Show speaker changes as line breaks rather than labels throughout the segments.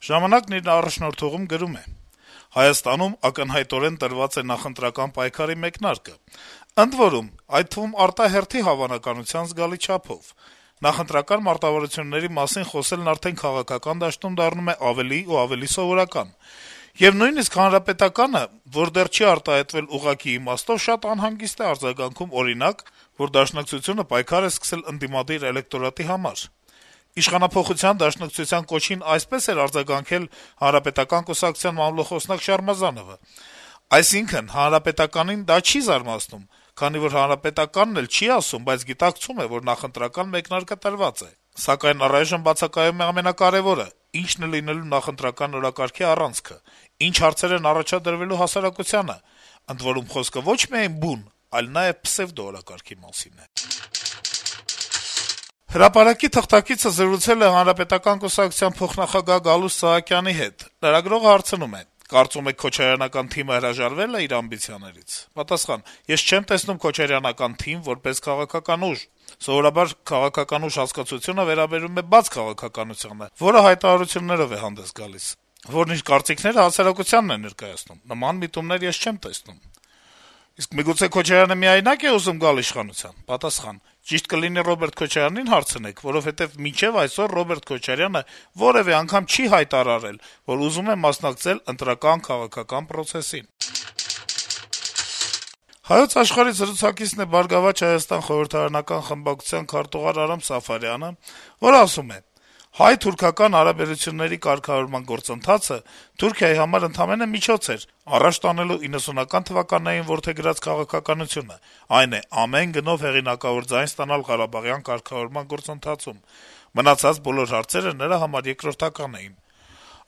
«Ժամանակ»-ն իր առաջնորդողում գրում է. - «Հայաստանում ակնհայտորեն տրված է նախընտրական պայքարի մեկնարկը, ընդ որում, այդ թվում արտահերթի հավանականության զգալի չափով: Նախընտրական մարտավարությունների մասին խոսելն արդեն քաղաքական դաշտում դառնում է ավելի ու ավելի սովորական: Եվ նույնիսկ Հանրապետականը, որ դեռ չի արտահայտվել ուղղակի իմաստով, շատ անհանգիստ է արձագանքում, օրինակ, որ Դաշնակցությունը պայքար է սկսել ընդդիմադիր էլեկտորատի համար: Իշխանափոխության դաշնակցության կոչին այսպես էր արձագանքել Հանրապետական կուսակցության մամլոխոսնակ Շարմազանովը: Այսինքն, Հանրապետականին դա չի զարմացնում, քանի որ Հանրապետականն էլ չի ասում, բայց գիտակցում է, որ նախընտրական մեկնարկը տրված է: Սակայն առայժմ բացակայում է ամենակարեւորը՝ ինչն է լինելու նախընտրական օրակարգի առանցքը, ինչ հարցեր են առաջադրվելու հասարակությանը: Ընդ որում, խոսքը ոչ միայն բուն, այլ նաեւ պսեվդո օրակարգի մասին է»: «Հրապարակ»-ի թղթակիցը զրուցել է Հանրապետական կուսակցության փոխնախագահ Գալուստ Սահակյանի հետ: Լրագրողը հարցնում է. - «Կարծում եք Քոչարյանական թիմը հրաժարվե՞լ է իր ամբիցիաներից»: Պատասխան. - «Ես չեմ տեսնում Քոչարյանական թիմ որպես քաղաքական ուժ: Սովորաբար քաղաքական ուժ հասկացությունը վերաբերում է բաց քաղաքականությանը, որը հայտարարություններով է հանդես գալիս: Որն իր կարծիքները հասարակությանն է ներկայացնում: Նման միտումներ ես չեմ տեսնում»: «Միգուցե Քոչարյանը միայնա՞կ է ուզում գալ իշխանության»: Պատասխան. - «Ճիշտ կլինի Ռոբերտ Քոչարյանին հարցնեք, որովհետեւ մինչեւ այսօր Ռոբերտ Քոչարյանը որեւէ անգամ չի հայտարարել, որ ուզում է մասնակցել ընտրական քաղաքական պրոցեսին»: «Հայոց Աշխարհ»-ի զրուցակիցն է «Բարգավաճ Հայաստան» խորհրդարանական խմբակցության քարտուղար Արամ Սաֆարյանը, որը ասում է. - «Հայ-թուրքական հարաբերությունների կարգավորման գործընթացը Թուրքիայի համար ընդամենը միջոց էր` առաջ տանելու 90-ական թվականներին որդեգրած քաղաքականությունը, այն է` ամեն գնով հեղինակավոր ձայն ստանալ ղարաբաղյան կարգավորման գործընթացում: Մնացած բոլոր հարցերը նրա համար երկրորդական էին: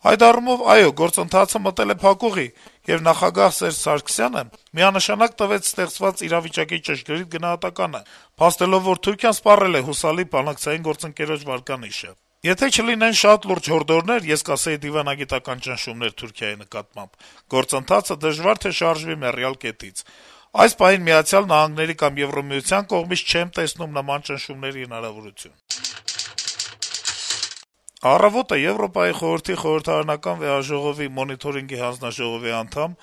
Այդ առումով, այո, գործընթացը մտել է փակուղի, եւ նախագահ Սերժ Սարգսյանը միանշանակ տվեց ստեղծված իրավիճակի ճշգրիտ գնահատականը` փաստելով, որ Թուրքիան սպառել է հուսալի բանակցային գործընկերոջ վարկանիշը: Եթե չլինեն շատ լուրջ հորդորներ, ես կասեի դիվանագիտական ճնշումներ Թուրքիայի նկատմամբ, գործընթացը դժվար թե շարժվի մեռյալ կետից: Այս պահին ԱՄՆ-ի կամ Եվրամիության կողմից չեմ տեսնում նման ճնշումների հնարավորություն»: «Առավոտ»-ը Եվրոպայի խորհրդի խորհրդարանական վեհաժողովի մոնիթորինգի հանձնաժողովի անդամ,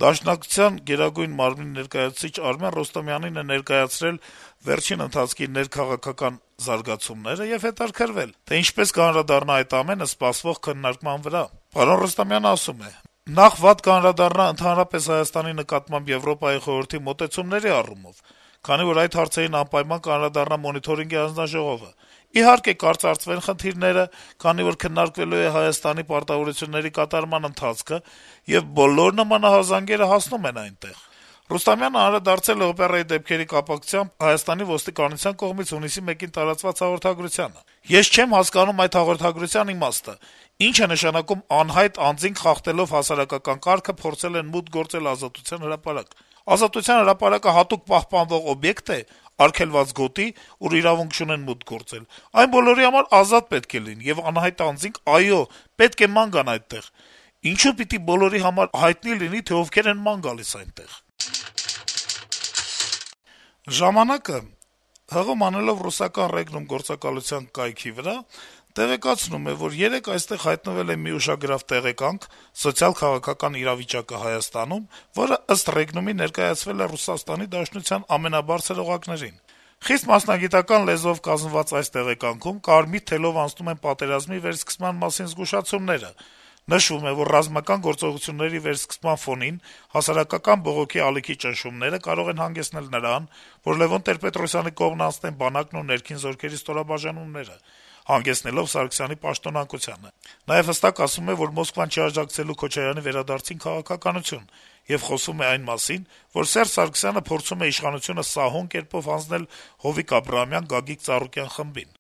Դաշնակցության Գերագույն մարմնի ներկայացուցիչ Արմեն Ռոստոմյանին է ներկայացրել վերջին ընթացքի ներքաղաքական զարգացումները եւ հետաքրքրվել, թե ինչպես կանդրադառնա այդ ամենը սպասվող քննարկման վրա: Ռոստոմյանն ասում է. - «Նախ վատ կանդրադառնա ընդհանրապես Հայաստանի նկատմամբ Եվրոպայի խորհրդի մոտեցումների առումով, քանի որ այդ հարցերին անպայման կանդրադառնա Մոնիթորինգի հանձնաժողովը: Իհարկե, կարծրացվեն խնդիրները, քանի որ քննարկվելու է Հայաստանի պարտավորությունների կատարման ընթացքը, եւ բոլոր նմանահազանգերը հասնում են այնտեղ»: Ռուստամյանը անդրադարձել է օպերայի դեպքերի կապակցությամբ Հայաստանի ոստիկանության կողմից հունիսի 1-ին տարածված հաղորդագրությանը. - «Ես չեմ հասկանում այդ հաղորդագրության իմաստը: Ի՞նչ է նշանակում անհայտ անձինք խախտելով հասարակական կարգը փորձել են մուտք գործել Ազատության հրապարակ: Ազատության հրապարակը հատուկ պահպանվող օբյեկտ է, արգելված գոտի, ուր իրավունք չունեն մուտք գործել: Այն բոլորի համար ազատ պետք է լինի, եւ անհայտ անձինք, այո, պետք է ման գան այդտեղ: Ինչո՞ւ պիտի բոլորի համար հայտնի լինի, թե ովքեր են ման գալիս այնտեղ»: «Ժամանակ»-ը, հղում անելով ռուսական Regnum գործակալության կայքի վրա, տեղեկացնում է, որ երեկ այստեղ հայտնվել է մի ուշագրավ տեղեկանք` սոցիալ-քաղաքական իրավիճակը Հայաստանում, որը, ըստ Regnum-ի, ներկայացվել է Ռուսաստանի Դաշնության ամենաբարձր օղակներին: Խիստ մասնագիտական լեզվով կազմված այս տեղեկանքում կարմիր թելով անցնում են պատերազմի վերսկսման մասին զգուշացումները: Նշվում է, որ ռազմական գործողությունների վերսկսման ֆոնին հասարակական բողոքի ալիքի ճնշումները կարող են հանգեցնել նրան, որ Լեւոն Տեր-Պետրոսյանի կողմն անցնեն բանակն ու ներքին զորքերի ստորաբաժանումները, հանգեցնելով Սարգսյանի պաշտոնանկությանը: Նաեւ հստակ ասվում է, որ Մոսկվան չի աջակցելու Քոչարյանի վերադարձին քաղաքականություն, եւ խոսվում է այն մասին, որ Սերժ Սարգսյանը փորձում է իշխանությունը սահուն կերպով հանձնել Հովիկ Աբրահամյան-Գագիկ Ծառուկյան խմբին: